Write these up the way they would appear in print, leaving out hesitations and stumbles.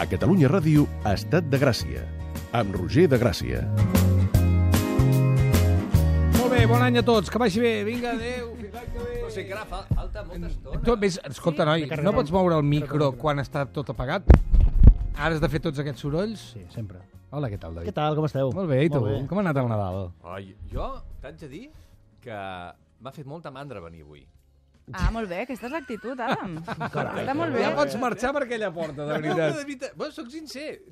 A Catalunya Ràdio, Estat de Gràcia, amb Roger de Gràcia. Molt bé, bon any a tots, que vagi bé, vinga, adéu. No sé, que ara falta molta estona. Tu, ves, escolta, noi, no pots moure el micro quan està tot apagat? Ara has de fer tots aquests sorolls? Sí, sempre. Hola, què tal, David? Què tal, com esteu? Molt bé, i tu? Molt bé. Com ha anat el Nadal? Ai, jo t'haig de dir que m'ha fet molta mandra venir avui. Ah, molt bé, aquesta és l'actitud, Adam. Està molt bé. Ja pots marxar per aquella porta, de No, veritat. de veritat. Bueno, soc sincer.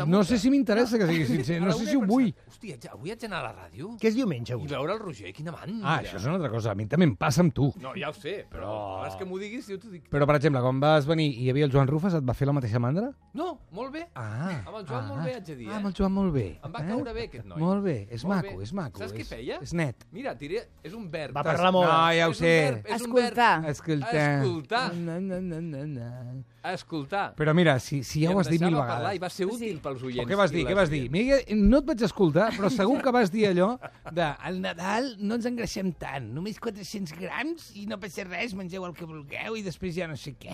No sé si m'interessa que sigui sincer, no sé si ho vull. Hòstia, avui haig d'anar a la ràdio Què és diumenge, i avui? veure el Roger, quina mandra. Ah, això és una altra cosa, a mi també em passa amb tu. No, ja ho sé, però abans que m'ho diguis, jo t'ho dic. Però, per exemple, quan vas venir i hi havia el Joan Rufas, et va fer la mateixa mandra? No, molt bé. Ah. Amb el Joan molt bé, haig de dir, Ah, amb el Joan molt bé. Em va caure bé, aquest noi. Molt bé, és Molt maco, bé. és maco. Saps què feia? És net. Mira, diré, és un verb. Va parlar molt. No, ja ho És un sé. verb, és un verb. Escoltar. Escoltar. Escoltar. Na. Escoltar. Però mira, si ja ho has dit mil I em deixava parlar vegades. I va ser útil pels oients. O què vas dir, i què les vas dir? oients. Mira, no et vaig escoltar, però segur que vas dir allò de al Nadal no ens engreixem tant, només 400 grams i no passa res, mengeu el que vulgueu i després ja no sé què.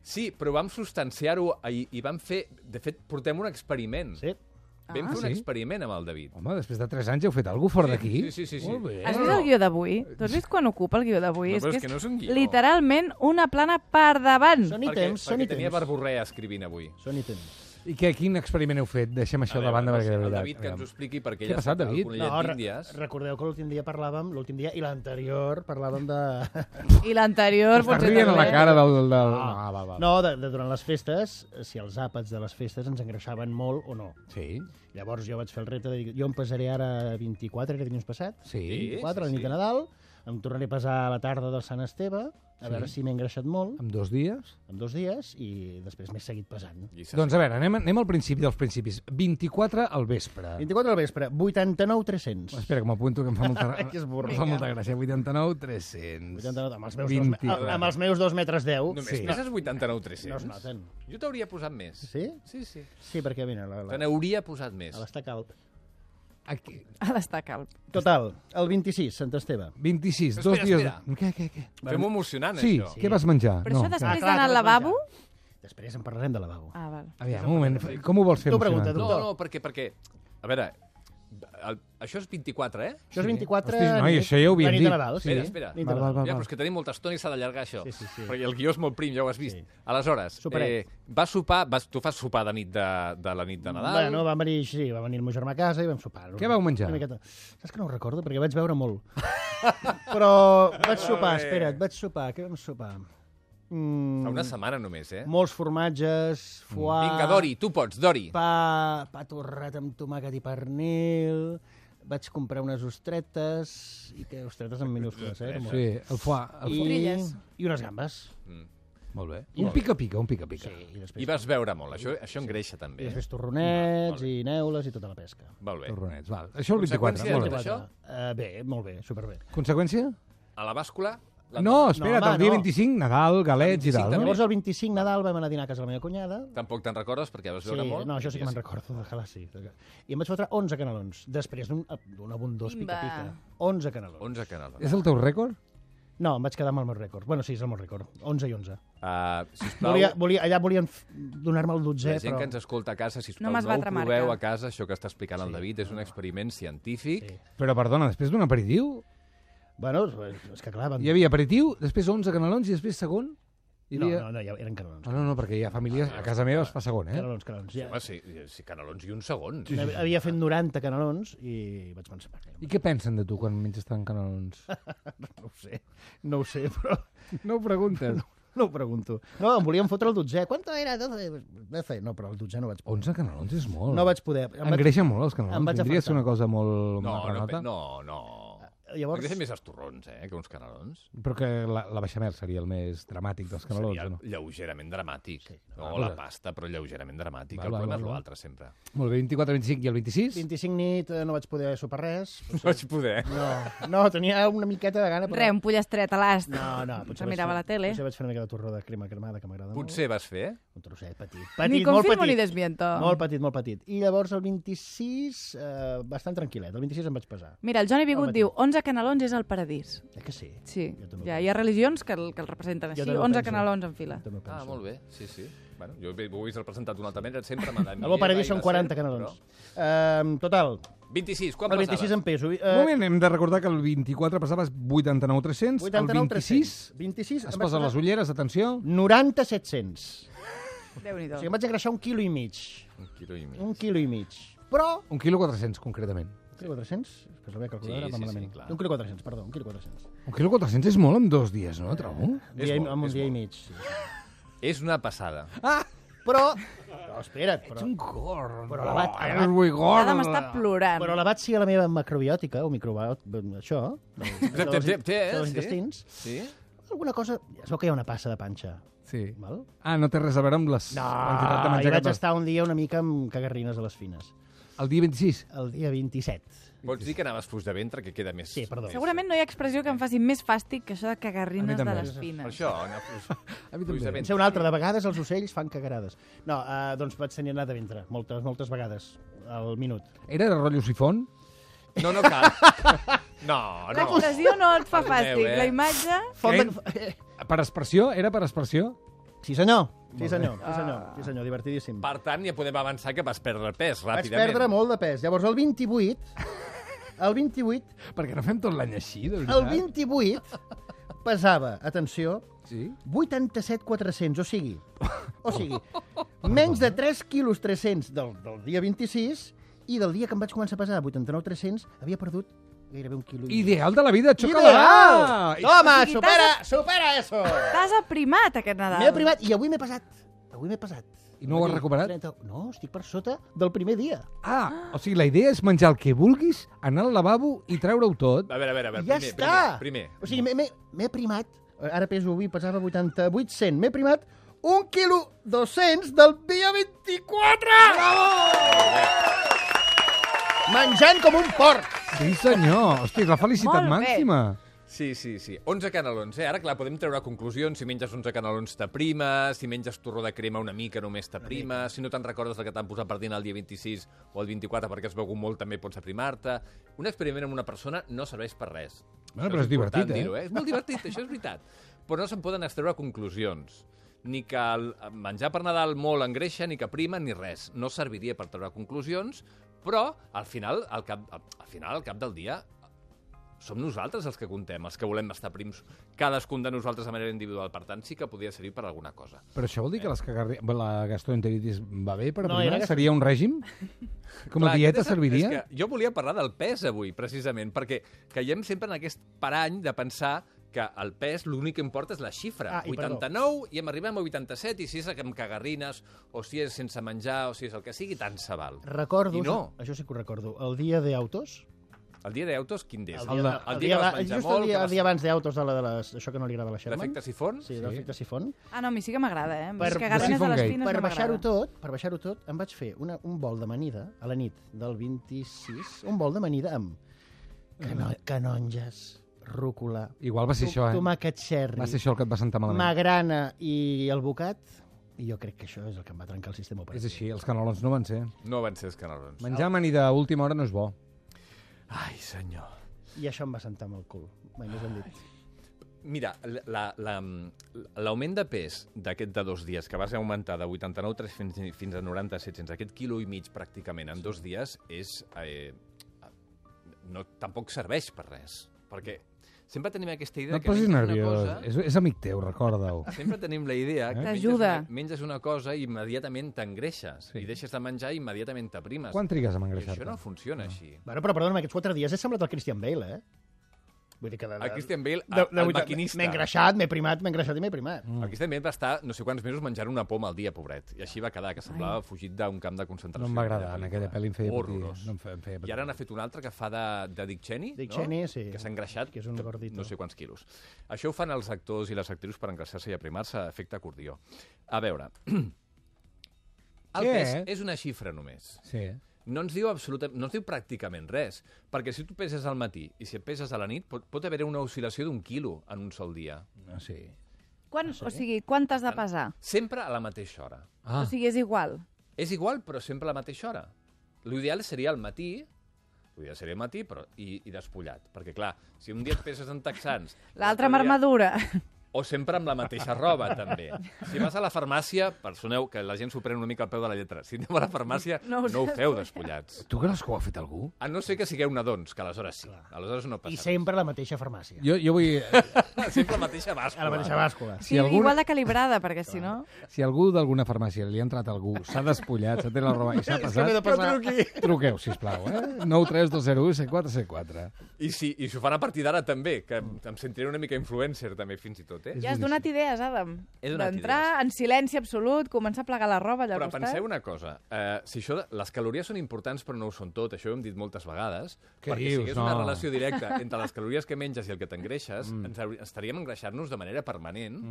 Sí, però vam substanciar-ho i vam fer... De fet, portem un experiment. Sí. Vam fer un sí? experiment amb el David. Home, després de 3 anys heu fet alguna cosa fora d'aquí? Sí. Molt bé. Has vist el guió d'avui? Tu has vist quan ocupa el guió d'avui? No, però és és que no és un guió. literalment una plana per davant. Són ítems, són perquè tenia ítems. verborrea escrivint avui. Són ítems. I quin experiment heu fet? Deixem això de banda no perquè sé, de el veritat. David que ens ho expliqui perquè Què ha ell passat, està al David? Conillet No, d'Índies. recordeu que l'últim dia i l'anterior parlàvem de... I l'anterior Estàs potser rient a la també. cara del... Ah, va. No, de durant les festes, si els àpats de les festes ens engreixaven molt o no. Sí, Llavors jo vaig fer el repte de dir, jo em pesaré ara 24, era dilluns passat, sí. 24, la nit de Nadal, em tornaré a pesar a la tarda del Sant Esteve, a veure si m'he engreixat molt, En 2 dies? en 2 dies, i després m'he seguit pesant. Doncs a veure, anem al principi dels principis. 24 al vespre. 24 al vespre, 89,300. Espera, que m'apunto, que em fa molta, Que és burro. em fa molta gràcia. 89, 300. 89, amb els meus, 24. amb els meus 2 metres 10. Només Sí. peses 89,300. No es noten. Jo t'hauria posat més. Sí? Sí, sí. Sí, perquè mira, Te n'hauria posat més. a l'estar calp. Aquí. Ha d'estar calp. Total, el 26, Sant Esteve. 26, Però 2 espera, dies... Què? Fem-ho emocionant, Sí, això. què vas menjar? Però això després clar, d'anar que al vas lavabo... Després en parlarem de lavabo. Ah, val. Aviam, un moment, com ho vols fer Tu emocionant? pregunta, No, tu. no, perquè... A veure, això és 24, eh? Això és 24... Hosti, noi, nit- això ja ho havíem la nit dit. de Nadal, sí. Espera. Nit de Val, Nadal. val. Ja, però és que tenim molta estona i s'ha d'allargar això. Sí. Perquè el guió és molt prim, ja ho has vist. Sí. Aleshores, Superet. vas sopar, tu fas sopar de nit de la nit de Nadal. Bueno, va venir el meu germà a casa i vam sopar. Què vau menjar? Una miqueta. Saps que no ho recordo? Perquè vaig veure molt. Però vaig sopar, espera't, què vam sopar? Fa una setmana només, eh? Molts formatges, foie... Vinga, Dori, tu pots, Dori. Pa torrat amb tomàquet i pernil... Vaig comprar unes ostretes, i que ostretes en minúscules, eh? Sí, el foie. Trilles. I unes gambes. Molt bé. Un pica-pica. Sí, i després, I vas veure molt, això engreixa i també. després torronets i neules i tota la pesca. Molt bé. Torronets, val. Això el 24. Conseqüència Molt de bé. això? Bé, molt bé, superbé. Conseqüència? A la bàscula... No, espera't, home, el dia no. 25, Nadal, galets i 25 tal, no? també. Llavors, el 25 Nadal vam anar a dinar a casa de la meva cunyada. Tampoc te'n recordes perquè vas Sí, veure molt. no, això sí que me'n recordo, ojalà sí. I em vaig fotre 11 canelons, després d'un abundós Quimba. pica-pica. 11 canelons. 11 canals. És el teu rècord? No, em vaig quedar amb el meu rècord. Bueno, sí, és el meu rècord. 11 i 11. Sisplau, Allà volien donar-me el 12è, la gent però... que ens escolta a casa, sisplau, No no, m'has ho batre proveu marca. a casa, això que està explicant el David, és un experiment científic. Sí. Però, perdona, després d'un aperitiu? Bueno, és que clar... Hi havia aperitiu, després 11 canelons i després segon? Hi havia... No, ja eren canelons. Ah, no, perquè hi ha famílies... A casa meva es fa segon, eh? Canelons. Ja. Home, sí, canelons i un segon. Havia fet 90 canelons i vaig pensar... I què pensen de tu quan menges tant canelons? No ho sé, però... No ho preguntes. No ho pregunto. No, em volien fotre el 12è. ¿Cuánto era? 12. No, però el 12è no vaig poder. 11 canelons és molt. No vaig poder. Engreixen molt els em canelons. vaig Tindria de ser afectar. una cosa molt No, marranota. no. Llavors, M'agrada més els torrons, que uns canelons. Però que la bechamel seria el més dramàtic dels canelons, Seria o no? lleugerament dramàtic. No, Ah, la val. pasta, però lleugerament dramàtic. Val, El problema val, és val. l'altre, sempre. Molt bé, 24, 25 i el 26? 25 nit no vaig poder sopar res. No vaig poder. No, tenia una miqueta de gana. Però... Re, un pollastre a l'ast. No, Se mirava la tele. Potser vaig fer una mica de torró de crema cremada, que m'agrada molt. Potser vas fer, Un trosset petit. Ni molt confirmo ni petit. desmiento. Molt petit, molt petit. I llavors el 26, bastant tranquil·let. El 26 em vaig pesar. Mira, el Johnny Bigut diu 11 canelons és el paradís. Que sí? Sí, Jo també ho hi ha religions que el representen Jo així, també ho 11 penso. canelons en fila. També ho penso. Molt bé, sí. Bueno, jo ho he vist representat d'una altra manera, sempre m'ha anat El bo paradís són 40 canelons. Total, 26, quan el 26 passaves? en peso. Un moment, hem de recordar que el 24 passaves 89.300, el 26 26 es posa les ulleres, atenció. 90.700. Déu-n'hi-do. O sigui, em vaig engreixar 1,5 quilos. 1,5 1,5 kg. Però... 1,4 kg, concretament. 1,400? Que la meva calculadora Sí, va sí, malament. clar. 1,400, perdó, 1,400. 1,4 kg és molt en 2 dies, no, trobo? Amb un és dia i molt. mig. Sí. És una passada. Però... No, espera't, però... gorro. Però l'abat- És muy gordo. Ara m'està plorant. Però l'abat sí a la meva macrobiòtica, o això, dels Sí? intestins, Sí? alguna cosa... Es veu que hi ha una passa de panxa. Sí. Val? Ah, no té res a veure amb les quantitat de hi menjar vaig que estar un dia una mica amb cagarrines a les fines. El dia 26? El dia 27. Pots dir que anaves fluix de ventre, que queda més... Sí, perdó. Segurament no hi ha expressió que em faci més fàstic que això de cagarrines A mi de també. les Per fines. això, anar fluix, A mi fluix de també. En sé ventre. una altra, de vegades els ocells fan cagarades. No, doncs vaig tenir anat de ventre, moltes vegades, al minut. Era de rotllo sifon? No cal. No. L'expressió no et fa Perdoneu, fàstic. La imatge... Per aspersió? Era per aspersió? Sí, senyor. Sí, senyor. Sí, senyor. Divertidíssim. Per tant, ja podem avançar que vas perdre pes Vaig ràpidament. perdre molt de pes. Llavors, el 28... El 28... Perquè no fem tot l'any així, de El veritat? 28 pesava, atenció, Sí? 87.400, o sigui, menys de 3 quilos 300 del dia 26 i del dia que em vaig començar a pesar 89.300 havia perdut gairebé 1 quilo. Ideal de la vida, xoca-la! Ideal! Home, O sigui, supera eso! T'has aprimat aquest Nadal. M'he privat i avui m'he pesat. I no ho has recuperat? No, estic per sota del primer dia. Ah, o sigui, la idea és menjar el que vulguis, anar al lavabo i treure-ho tot. A veure, I ja està! primer. O sigui, m'he primat, ara peso avui, pesava 88,100, m'he primat 1 quilo 200 del dia 24! Bravo! Menjant com un porc! Sí, senyor. Hosti, la felicitat Molt bé. màxima. Sí. 11 canelons, Ara, clar, podem treure conclusions. Si menges 11 canelons t'aprima, si menges torró de crema una mica només t'aprima, si no te'n recordes del que t'han posat per dinar el dia 26 o el 24 perquè has begut molt també pots aprimar-te. Un experiment amb una persona no serveix per res. Bueno, Això però és divertit, important dir-ho, És molt divertit, això és veritat. Però no se'n poden extreure conclusions. Ni que el menjar per Nadal molt engreixa, ni que prima, ni res. No serviria per treure conclusions, però al final, al cap del dia, som nosaltres els que contem, els que volem estar prims, cadascun de nosaltres de manera individual. Per tant, sí que podria servir per alguna cosa. Però això vol dir que la gastroenteritis va bé per No, aprimar? era Seria un règim? Com a Clar, dieta aquest és serviria? És que jo volia parlar del pes avui, precisament, perquè caiem sempre en aquest parany de pensar que el pes l'únic que importa és la xifra. Ah, i perdó. 89 i em arribem a 87 i si és amb cagarrines o si és sense menjar o si és el que sigui, tant se val. Recordo, I no. això sí que ho recordo, el dia d'autos... El dia d'autos, quin és? El dia- el dia que vas menjar just molt, el dia abans d'autos, això que no li agrada a la Sherman. l'efecte sifon? Sí, l'efecte sifon. Ah, no, a mi sí que m'agrada, eh? Per- Per, cagarines de Sifon les Gate. fines Per no m'agrada. baixar-ho tot, em vaig fer un bol d'amanida a la nit del 26, un bol d'amanida amb canonges, rúcula, Igual va ser això, eh? tomàquet cherry, Va ser això el que et va sentar malament. magrana i el bocat, i jo crec que això és el que em va trencar el sistema És operatiu. així, els canelons no van ser. No van ser els canelons. Menjar amanida a última hora no és bo. Ai, senyor. I això em va sentar amb el cul, mai més ben dit. Mira, l'augment de pes d'aquest de 2 dies, que vas augmentar de 89 fins a 97, aquest quilo i mig pràcticament en 2 dies, és tampoc serveix per res. Perquè sempre tenim aquesta idea No et que posis menges una nerviós. cosa... És amic teu, recorda-ho. Sempre tenim la idea que T'ajuda. menges una cosa i immediatament t'engreixes. Sí. I deixes de menjar i immediatament t'aprimes. Quan trigues a I engreixar-te? això no funciona així. Bueno, però perdona'm, aquests 4 dies he semblat el Christian Bale, Vull dir que El Christian Bale, el maquinista. M'he engreixat, m'he primat i m'he primat. El Christian Bale va estar no sé quants mesos menjant una poma al dia, pobret. I així va quedar, que semblava fugit d'un camp de concentració. No em va agradar, en aquella pel·li em feia patir. Horrorós. No em feia patir. I ara n'ha fet un altre que fa de Dick Cheney, Dick no? Cheney, sí. Que s'ha engreixat Que és un gordito. no sé quants quilos. Això ho fan els actors i les actrius per engreixar-se i aprimar-se a efecte acordió. A veure, el Què? pes és una xifra només. Sí. No ens diu pràcticament res, perquè si tu peses al matí i si et peses a la nit, pot haver una oscil·lació d'1 quilo en un sol dia. Sí. O sigui, quan t'has de pesar? Sempre a la mateixa hora. Ah, O sigui, és igual. És igual, però sempre a la mateixa hora. L'ideal seria al matí, podria ser al matí, però i despullat. Perquè, clar, si un dia et peses en texans... L'altra amb armadura. O sempre amb la mateixa roba, també. Si vas a la farmàcia, personeu que la gent s'ho pren una mica al peu de la lletra. Si aneu a la farmàcia, no ho feu despullats. Tu creus que ho ha fet algú? A no ser que sigueu nadons, que aleshores sí. Aleshores no passa I sempre a la mateixa farmàcia. Jo vull... res. Sempre la mateixa bàscula. A la mateixa bàscula. Sí, igual de calibrada, perquè si no... Si algú d'alguna farmàcia li ha entrat algú, s'ha despullat, s'ha tret la roba i s'ha passat, truqueu, sisplau, 932017474. I si ho fan a partir d'ara també, que em sentiré una mica influencer també, fins i tot, Ja has donat idees, Adam. He donat D'entrar en silenci absolut, començar a plegar la roba allà al Però costat. penseu una cosa, si això, les calories són importants però no ho són tot, això ho hem dit moltes vegades, Què perquè dius? si hi hagués una No. relació directa entre les calories que menges i el que t'engreixes, estaríem engreixant-nos de manera permanent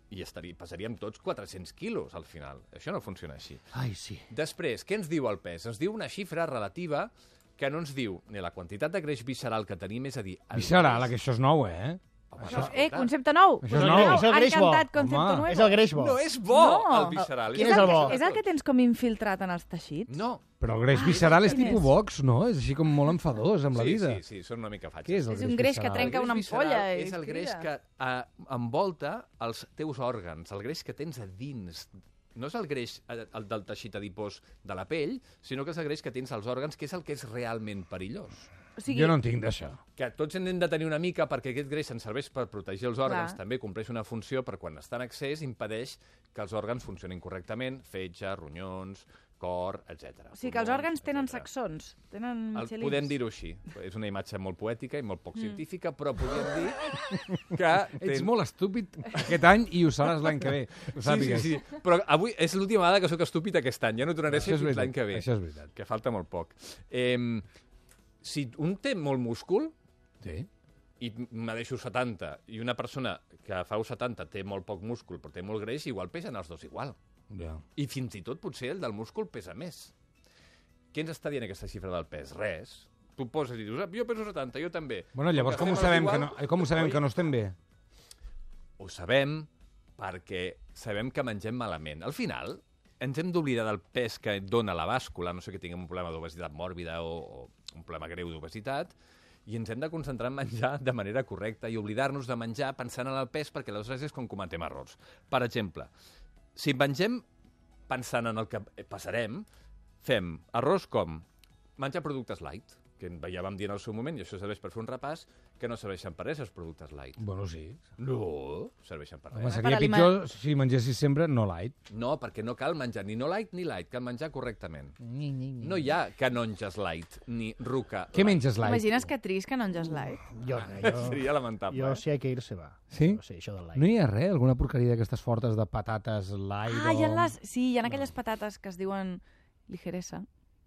i pesaríem tots 400 quilos al final. Això no funciona així. Ai, sí. Després, què ens diu el pes? Ens diu una xifra relativa que no ens diu ni la quantitat de greix visceral que tenim, és a dir... Visceral, que això és nou, Concepte nou. Això és nou. És el greix bo. Encantat, concepte Home. nou. És el greix bo. No és bo, No. el visceral. Quin és el bo? És el que tens com infiltrat en els teixits? No. Però el greix visceral és quin tipus és? Vox, no? És així com molt enfadós amb la vida. Sí, són una mica fatxes. Què és el És un greix que visceral? trenca una El greix visceral ampolla i és el greix crida. que envolta els teus òrgans, el greix que tens a dins. No és el greix el del teixit adipós de la pell, sinó que és el greix que tens als òrgans, que és el que és realment perillós. O sigui, Jo no en tinc d'això. Que tots n'hem de tenir una mica perquè aquest greix ens serveix per protegir els òrgans, Clar. també compleix una funció, però quan està en excés impedeix que els òrgans funcionin correctament, fetge, ronyons, cor, etc. o sigui que els òrgans tenen saxons, tenen michelins. Podem dir-ho així. És una imatge molt poètica i molt poc científica, però podem dir que... Ets molt estúpid aquest any i ho seràs l'any que ve. Ho sàpigues. Sí. Però avui és l'última vegada que sóc estúpid aquest any. Ja no tornaré a ser Això és fins l'any veritat, que ve. això és veritat. Que falta molt poc. Si un té molt múscul Sí. i me deixo 70 i una persona que fa 70 té molt poc múscul però té molt greix, igual pesen els dos igual. Ja. I fins i tot potser el del múscul pesa més. Què ens està dient aquesta xifra del pes? Res. Tu poses i dius, jo peso 70, jo també. Bueno, llavors Com com ho que sabem, estem que no estem bé? Ho sabem perquè sabem que mengem malament. Al final, ens hem d'oblidar del pes que et dona la bàscula, no sé que tinguem un problema d'obesitat mòrbida o un problema greu d'obesitat, i ens hem de concentrar en menjar de manera correcta i oblidar-nos de menjar pensant en el pes, perquè aleshores és com cometem errors. Per exemple, si mengem pensant en el que passarem, fem errors com menjar productes light, que ja vam dir en el seu moment, i això serveix per fer un repàs, que no serveixen per res els productes light. Bueno, sí. No, serveixen per Home, res. seria pitjor si mengessis sempre no light. No, perquè no cal menjar ni no light ni light, cal menjar correctament. No hi ha canonges light ni ruca Què light. menges light? T'imagines que trist que no enges light? Jo, Seria lamentable. jo si hay que irse va. Sí? Sí, això del light. No hi ha res? Alguna porqueria d'aquestes fortes de patates light? Hi ha sí, hi ha aquelles patates que es diuen ligeresa,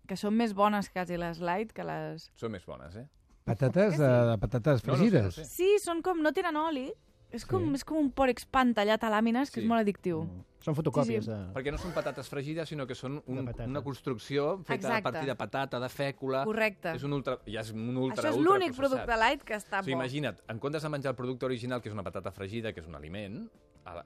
que són més bones quasi les light que les... Són més bones, eh? Patates, patates No, no sé, fregides? no sé. Sí, són com... no tenen oli. És com un pòrex pan tallat a làmines, que Sí. és molt addictiu. Són fotocòpies Sí, sí. de... Perquè no són patates fregides, sinó que són De patata. una construcció feta Exacte. a partir de patata, de fècula... Correcte. És un ultra Això és l'únic processat. producte light que està O sigui, bo. imagina't, en comptes de menjar el producte original, que és una patata fregida, que és un aliment,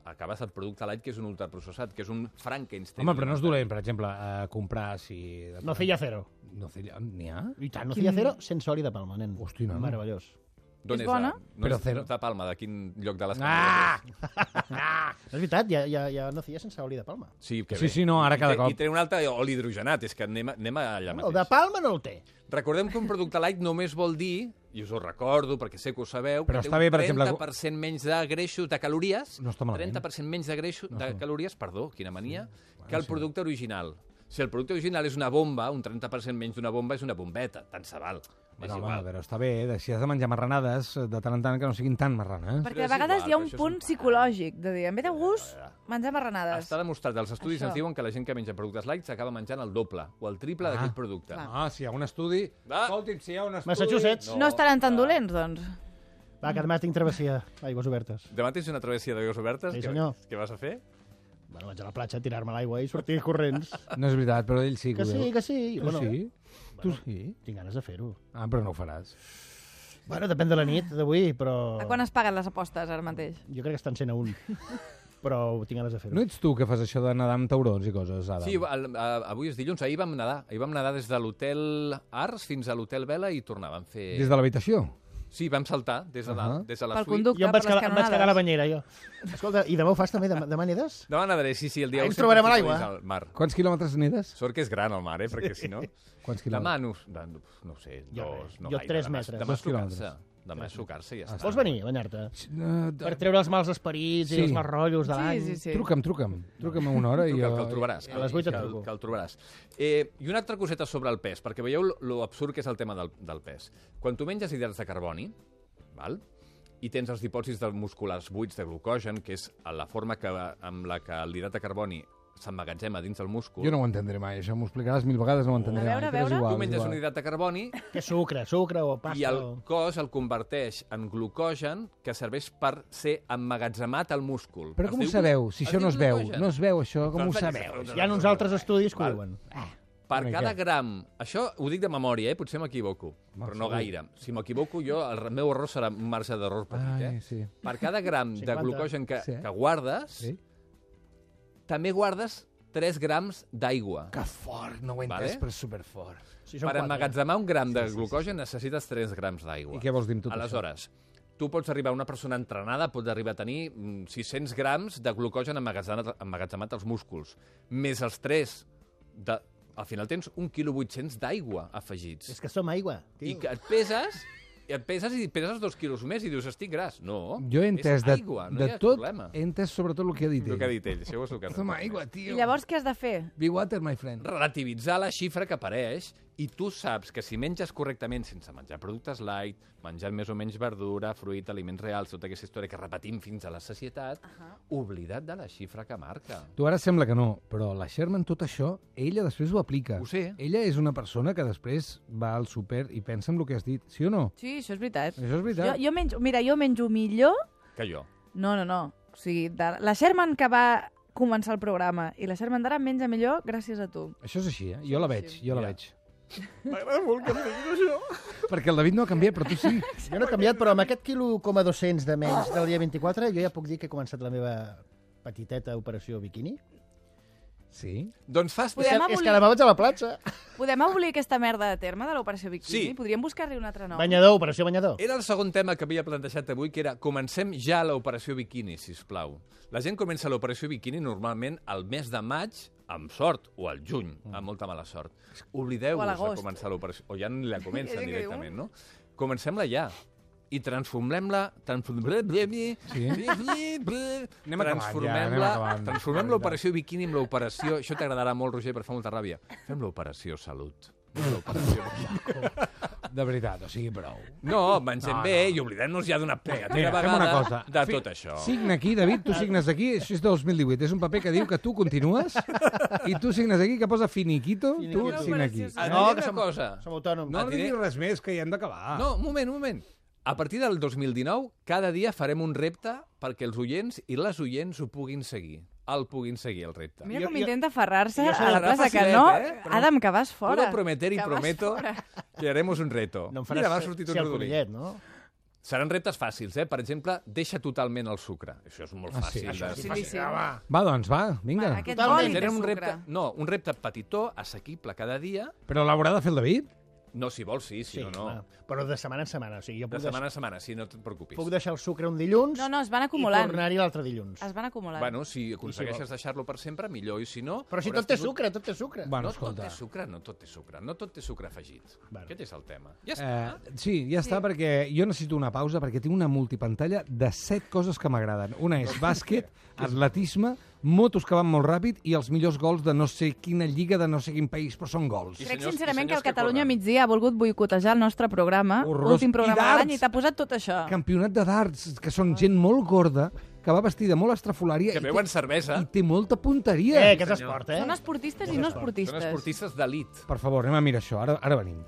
acabes el producte light, que és un ultraprocessat, que és un Frankenstein. Home, però no és dolent, per exemple, comprar si... Nocilla cero. Nocilla... N'hi ha? I tant, nocilla cero sense oli de palma, nen. Hosti, no. Meravellós. D'on És bona? No Però és cero. de Palma, de quin lloc de les Ah! És veritat, hi ha nocilla sense oli de palma. Sí, que Sí, bé. sí, no, ara cada cop. I té un altre oli hidrogenat, és que anem allà El mateix. de palma no el té. Recordem que un producte light només vol dir, i us ho recordo perquè sé que ho sabeu, Però que està té bé, un per exemple, 30% menys de greixos, de calories, No està malament. 30% menys de greixos, de calories, perdó, quina mania, que el producte original. Si el producte original és una bomba, un 30% menys d'una bomba és una bombeta, tant se val. És Bueno, home, igual. però està bé, si has de menjar marranades, de tant en tant que no siguin tan marranes. Perquè a és vegades igual, hi ha però un això és punt un psicològic de dir, en ve de gust, menjar marranades. Està demostrat, els estudis Això. ens diuen que la gent que menja productes light s'acaba menjant el doble o el triple d'aquell producte. Clar. Ah, si hi ha un estudi... Va. Escolti'm, si hi ha un estudi... Massachusetts. No estaran tan dolents, doncs. Va, que demà tinc travessia d'aigües obertes. Demà tens una travessia d'aigües obertes? Sí, senyor. Què vas a fer? Bueno, vaig a la platja a tirar-me a l'aigua i sortir corrents. No és veritat, però ell sí Que ho sí, veu. que sí. Tu sí? Tu sí? Tinc ganes de fer-ho. Ah, però no ho faràs. Bueno, depèn de la nit d'avui, però... A quan es paguen les apostes ara mateix? Jo crec que estan sent a un. però tinc ganes de fer-ho. No ets tu que fas això de nedar amb taurons i coses, Adam? Sí, avui és dilluns, ahir vam nedar. Ahir vam nedar des de l'hotel Ars fins a l'hotel Vela i tornàvem a fer... Des de l'habitació? Sí, vam saltar des de dalt, des de la Pel suite. conducte, Jo em per vaig les quedar a la canonades. banyera, jo. Escolta, i demà ho fas també? Demà nedes? Demà nedaré, sí, el dia Ens 1 trobarem a sempre l'aigua. dins al mar. Quants quilòmetres nedes? Sort que és gran el mar, perquè si no... Quants Demà quilòmetres? no ho sé, Jo dos, res. no Jo gaire. 3 Demà- metres. Demà 2 quilòmetres. sucar-se. Demà sucar-se i ja està. Vols venir a banyar-te? Uh, Per treure els mals esperits Sí. i els mals rotllos de l'any. Sí, sí, sí. Truca'm a una hora i... Que el trobaràs. A les 8 et que truco. el trobaràs. I una altra coseta sobre el pes, perquè veieu lo absurd que és el tema del pes. Quan tu menges hidrats de carboni, val? I tens els dipòsits musculars buits de glucogen, que és la forma amb la que l'hidrat de carboni s'emmagatzema dins del múscul. Jo no ho entendré mai, això m'ho explicaràs 1000 vegades, no ho entendré A veure, mai. però és a veure. igual, Tu és menges igual. un hidrat de carboni Que sucre o pasta. i el cos el converteix en glucogen que serveix per ser emmagatzemat al múscul. Però Es com ho diu sabeu? Si es això diu no es veu, glucogen. no es veu això, com ho Doncs sabeu? vaig a fer Hi ha uns altres estudis que ho Val. diuen. Per Una cada mica. gram... Això ho dic de memòria, potser m'equivoco, però no segur. gaire. Si m'equivoco jo, el meu error serà un marge d'error petit. Ai, sí. Per cada gram de 50. glucogen que Sí. guardes, Sí? també guardes 3 grams d'aigua. Que fort, no ho he Vale. entès, però és superfort. Si són Per 4. emmagatzemar un gram de glucogen necessites 3 grams d'aigua. I què vols dir amb tot Aleshores, tu pots arribar, una persona entrenada pot arribar a tenir 600 grams de glucogen emmagatzemat als músculs, més els 3 de... Al final tens 1,8 kg d'aigua afegits. És que som aigua, tio. I que et peses i peses 2 quilos més i dius, estic gras. No, Jo he entès és de, aigua, no de hi ha tot, problema. he entès sobretot el que ha dit El ell. que ha dit ell, això ho és el que Toma aigua, I tio. llavors què has de fer? Be water, my friend. Relativitzar la xifra que apareix i tu saps que si menges correctament sense menjar productes light, menjant més o menys verdura, fruita, aliments reals, tota aquesta història que repetim fins a la sacietat, oblida't de la xifra que marca. Tu ara sembla que no, però la Sherman tot això, ella després ho aplica. Ho sé. Ella és una persona que després va al súper i pensa en el que has dit, sí o no? Sí, això és veritat. Això és veritat. Jo menjo millor... Que jo. No. O sigui, la Sherman que va començar el programa i la Sherman d'ara menja millor gràcies a tu. Això és així, jo la veig, jo la Ja. veig. M'agrada molt que em diguis això. Perquè el David no ha canviat, però tu sí. Jo no he canviat, però amb aquest quilo coma 200 de menys del dia 24 jo ja puc dir que he començat la meva petiteta operació biquini. Sí? Doncs fas... Podem És abolir- que demà vaig a la platja. Podem abolir aquesta merda de terme de l'operació Bikini? Sí. Podríem buscar-li un altre nom. Banyador, operació banyador. Era el segon tema que havia plantejat avui, que era comencem ja l'operació biquini, si us plau. La gent comença l'operació biquini normalment al mes de maig, amb sort, o al juny, amb molta mala sort. O Oblideu-vos a de l'agost. començar l'operació, o ja ni la comencen Gent que diu, directament, no? Comencem-la ja. I transformem-la... Sí. Anem acabant, ja, transformem l'operació biquini amb l'operació... Això t'agradarà molt, Roger, per fa molta ràbia. Fem l'operació salut. De veritat, o sigui, prou. No, mengem No, bé no. i oblidem-nos ja d'una Mira, vegada fem una cosa. de tot això. Signa aquí, David, tu signes aquí, això és de 2018, és un paper que diu que tu continues i tu signes aquí que posa finiquito, tu Finiquito. signa aquí. Et No, diré que una som- cosa. Som autònoms. No et diré- diguis res més, que ja hem d'acabar. No, un moment. A partir del 2019, cada dia farem un repte perquè els oients i les oients ho puguin seguir. El puguin seguir, el repte. Mira Jo- com jo- intenta aferrar-se jo a la serà plaça, que facilet, no... Però Adam, que vas fora. Puedo prometer y Que vas prometo fora. que haremos un reto. No em Mira, m'ha faràs sortit ser un el rodolí. conillet, no? Seran reptes fàcils, eh? Per exemple, deixa totalment el sucre. Això és molt Ah, sí? fàcil. Això de- Sí, sí, sí. Va, doncs, va, vinga. Va, aquest Totalment. boli de Tenen un sucre. repte, no, un repte petitó, assequible cada dia. Però l'haurà de fer el David? No, si vols, sí, si no, no. clar. Però de setmana en setmana. O sigui, jo De puc, setmana a setmana, sí, no et preocupis. puc deixar el sucre un dilluns No, es van i acumulant. tornar-hi l'altre dilluns. Es van acumulant. Bueno, si aconsegueixes deixar-lo per sempre, millor, i si no... Però si hauràs tot té tingut- sucre, tot té sucre. Bueno, No escolta. tot té sucre, no tot té sucre. No tot té sucre afegit. Vale. Aquest és el tema. Ja està. Sí, ja està, perquè jo necessito una pausa perquè tinc una multipantalla de 7 coses que m'agraden. Una és bàsquet, atletisme, motos que van molt ràpid i els millors gols de no sé quina lliga de no sé quin país, però són gols. I Crec senyors- sincerament i que el senyors que Catalunya corren. migdia ha volgut boicotejar el nostre programa, Horrorós. l'últim programa I de l'any, darts. i t'ha posat tot això. Campionat de darts, que són gent molt gorda, que va vestida molt estrafolària Que i beuen cervesa. i té molta punteria. Que és esport, eh? Són esportistes i no Són esportistes. esportistes d'elit. Per favor, anem a mirar això. Ara venim.